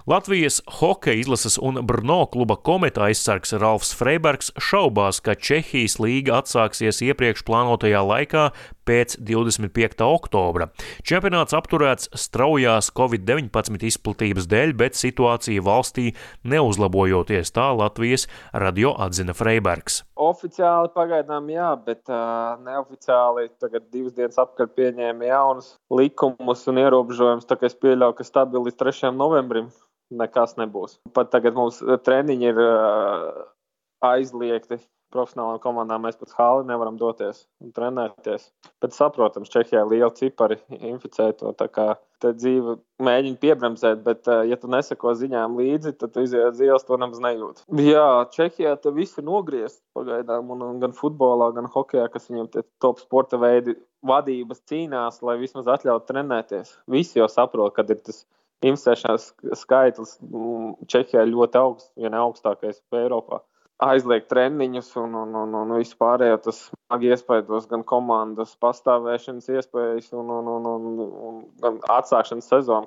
Latvijas hokeja izlases un Brno kluba Kometa aizsargs Ralfs Freibergs šaubās, ka Čehijas līga atsāksies iepriekš plānotajā laikā pēc 25. oktobra. Čempionāts apturēts straujās Covid-19 izplatības dēļ, bet situācija valstī neuzlabojoties, tā Latvijas radio atzina Freibergs. Oficiāli pagaidām jā, bet neoficiāli tagad 2 dienas apkārt pieņēma jaunus likumus un ierobežojumus, tā kā es pieļauju, ka stabili līdz 3. novembrim nekas nebūs. Pat tagad mums treniņi ir aizliegti. Profesionālām komandām mēs pat hāli nevaram doties un trenēties. Bet saprotams, Čehijā liela cipari inficēto, tā kā te dzīve mēģina piebremzēt, bet ja tu neseko ziņām līdzi, tad tu iziet ielas, to nemaz nejūti. Jā, Čehijā te viss ir nogriezt pagaidām, un gan futbolā, gan hokejā, kas viņam tie top sporta veidi vadības cīnās, lai vismaz atļautu trenēties. Visi jau saprot, kad ir tas inficēšanās skaitlis Čehijā ļoti augsts, ja ne augstākais Eiropā. Aizliegt treniņus un vispārējo tas smagi iespaidos gan komandas pastāvēšanas iespējas un gan atsākšanas sezonu.